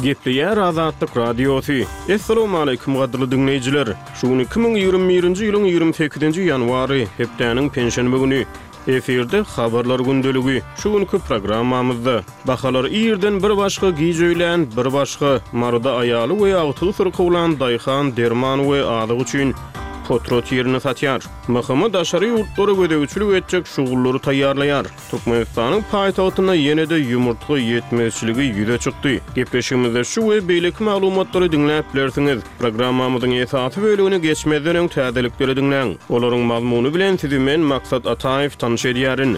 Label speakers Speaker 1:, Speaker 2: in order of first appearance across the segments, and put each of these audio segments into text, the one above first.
Speaker 1: Gepleýär Azatlyk Radiosy. Essalawmaleýkim gadyrly diňleýjiler! Şu gün 2021-nji ýylyň 28-nji ýanwary, hepdäniň penşenbe güni. Efirde Habarlar gündeligi. Şu günki programmamyzda, Bahalar irden bir başga, giç öýlän bir başga, Maryda aýaly we agtygy syrkawlan daýhan derman we azyk üçin potrat ýerini satýar. MHM daşary ýurtlara gözegçilik etjek şugullary taýýarlaýar. Türkmenistanyň paýtagtynda ýene-de ýumurtga ýetmezçiligi ýüze çykdy. Gepleşigimizde şu we beýleki maglumatlary diňläp bilersiňiz. Programmamyzyň esasy bölegine geçmezden öň täzelikleri diňläň. Olaryň mazmuny bilen sizi men, Maksat Ataýew, tanyş edýärin.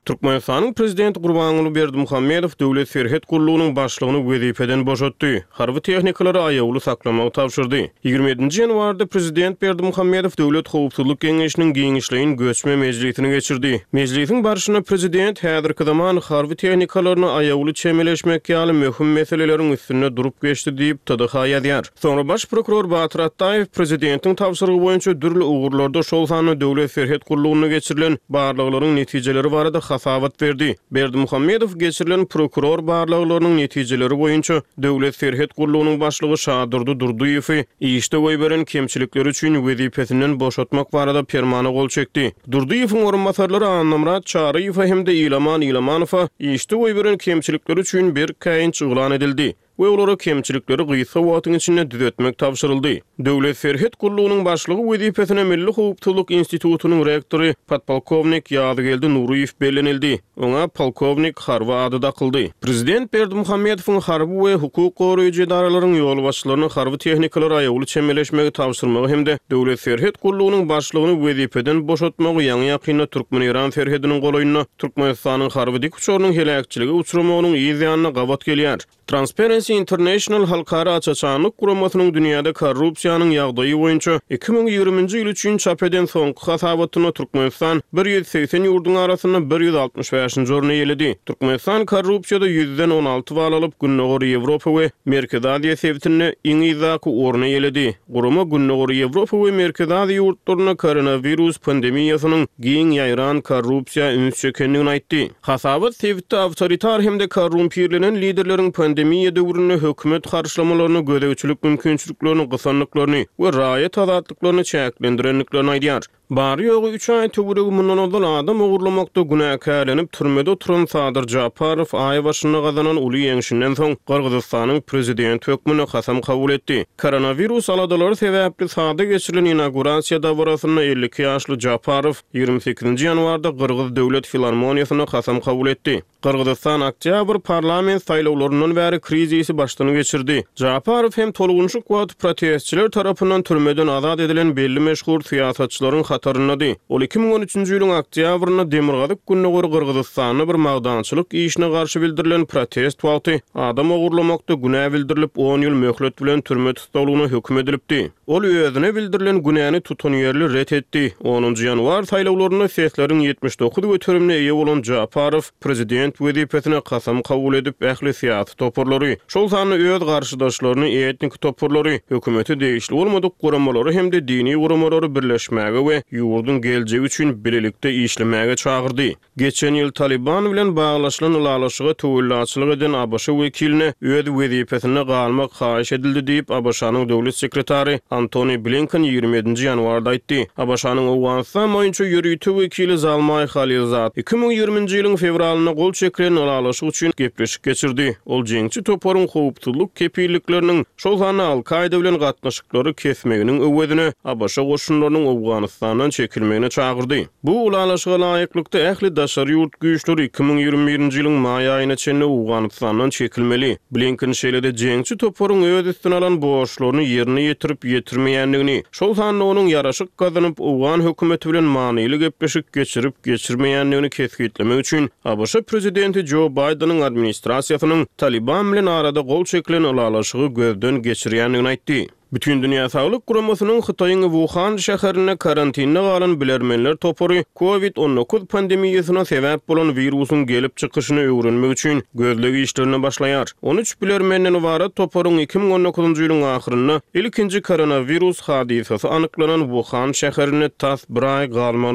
Speaker 1: Türkmenistanyň Prezidenti Gurbanguly Berdimuhamedow Döwlet serhet gullugynyň başlygyny wezipeden boşatdy, harby tehnikalary aýawly saklamagy tabşyrdy. 27-nji ýanwarda Prezident Berdimuhamedow Döwlet howpsuzlyk geňeşiniň giňişleýin göçme mejlisini geçirdi. Mejlisiň barşynda Prezident häzirki zaman harby tehnikalaryna aýawly çemeleşmek ýaly möhüm meseleleriň üstünde durup geçdi diýip, TDH ýazýar. Soňra baş prokuror Batyr Atdaýew prezidentiň tabşyrygy boýunça dürli ugurlarda, şol sanda Döwlet serhet gullugynda geçirilen barlaglaryň netijeleri barada hasabat berdi. Berdimuhamedow geçirilen prokuror barlaglarynyň netijeleri boýunça Döwlet serhet gullugynyň başlygy Şadurdy Durdyýewi işde goýberen kemçilikleri üçin wezipesinden boşatmak barada permana gol çekdi. Durdyýewiň orunbasarlary Annamyrat Çaryýewe hem-de Ilaman Ilamanowa işde goýberen kemçilikleri üçin berk käýinç yglan edildi. We olara kemçilikleri gysga wagtyň içinde düzetmek tabşyryldy. Döwlet serhet gullugynyň başlygy wezipesine Milli howpsuzlyk institutynyň rektory, podpolkownik Ýazgeldi Nuryýew bellenildi. Oňa polkownik harby ady dakyldy. Prezident Berdimuhamedowyň harby we hukuk goraýjy edaralaryň ýolbaşçylaryna harby tehnikalara aýawly çemeleşmegi tabşyrmagy hem-de Döwlet serhet gullugynyň başlygyny wezipeden boşatmagy ýaňy-ýakynda türkmen-eýran serhediniň golaýynda Türkmenistanyň harby dikuçarynyň heläkçilige uçramagynyň yz ýanyna gabat gelýär. Transparency International halkara aç-açanlyk guramasynyň dünýäde korrupsiýanyň ýagdaýy boýunça 2020-nji ýyl üçin çap eden soňky hasabatynda Türkmenistan 180 ýurduň arasynda 165-nji orny eýeledi. Türkmenistan korrupsiýada ýüzden 16 bal alyp, Gündogar Ýewropa we Merkezi Aziýa sebitinde iň yzdaky orny eýeledi. Gurama Gündogar Ýewropa we Merkezi Aziýa ýurtlarynda koronawirus pandemiýasynyň giň ýaýran korrupsiýa üns çekendigini aýtdy. Hasabat sebitde awtoritar hem-de korrumpirlenen liderleriň pandemiýa döwründe hökümet harçlamalaryna gözegçilik mümkinçiliklerini gysandyklaryny we raýat azatlyklaryny çäklendirendiklerini aýdýar. Bary-ýogy üç aý töweregi mundan ozal adam ogurlamakda günäkärlenip türmede oturan Sadyr Japarow aý başynda gazanan uly ýeňşinden soň Gyrgyzystanyň prezidenti hökmünde kasam kabul etdi. Koronawirus aladalary sebäpli sada geçirilen inaugurasiýa dabarasynda 52 ýaşly Japarow 28-nji ýanwarda Gyrgyz döwlet filarmoniýasynda kasam kabul etdi. Gyrgyzystan oktýabr parlament saýlawlaryndan bäri krizisi başdan geçirdi. Japarow hem tolgunyşyk wagty protestçiler tarapyndan türmeden azat edilen belli meşhur syýasatçylaryň hataryndady. Ol 2013-nji ýylyň oktýabrynda demirgazyk-gündogar Gyrgyzystanda bir magdançylyk işine garşy bildirilen protest wagty adam ogurlamakda günä bildirilip on ýyl möhlet bilen türme tussaglygyna höküm edilipdi. Ol özüne bildirilen günäni tutanýerli ret etdi. Onunjy ýanwar saýlawlarynda sesleriň 79 göterimine eýe bolan Japarow prezident wezipesine kasam kabul edip, ähli syýasy toparlary, şol sanda öz garşydaşlaryny, etniki toparlary, hökümete degişli bolmadyk guramalary hem-de dini guramalary birleşmäge we ýurduň geljegi üçin bilelikde işlemäge çagyrdy. Geçen ýyl Talyban bilen baglaşylan ylalaşyga töwellaçylyk eden ABŞ wekiline öz wezipesinde galmak haýyş edildi diýip, ABŞ-nyň döwlet sekretary Antony Blinken 27-nji ýanwarda aýtdy. ABŞ-nyň Owganystan boýunça ýörite wekili Zalmaý Halilzad 2020-nji ýylyň fewralynda gol çekilen ylalaşyk üçin gepleşik geçirdi. Ol jeňçi toparyň howpsuzlyk kepillikleriniň, şol sanda Al-Kaýda bilen gatnaşyklary kesmeginiň öwezine ABŞ goşunlarynyň Owganystandan çekilmegine çagyrdy. Bu ylalaşyga laýyklykda, ähli daşary ýurt güýçleri 2021-nji ýylyň maý aýyna çenli Owganystandan çekilmeli. Blinken şeýle-de jeňçi toparyň öz üstüne alan borçlaryny ýerine ýetirip-ýetirmeýändigini, şol sanda onuň ýaraşyk gazanyp, owgan hökümeti bilen manyly gepleşik geçirip-geçirmeýändigini kesgitlemek üçin ABŞ prezidenti Jo Baýdeniň administrasiýasynyň Talyban bilen arada gol çekilen ylalaşygy gözden geçirýändigini aýtdy. Bütindünýä Saglyk Guramasynyň Hytaýyň Wuhan şäherinde karantinde galan bilermenler topary Covid 19 pandemiýasyna sebäp bolan wirusyň gelip çykyşyny öwrenmek üçin gözleg işlerine başlaýar. 13 bilermenden ybarat toparyň 2019-njy ýylyň ahyrynda ilkinji koronawirus hadysasy anyklanan Wuhan şäherinde tas bir aý galmagyna.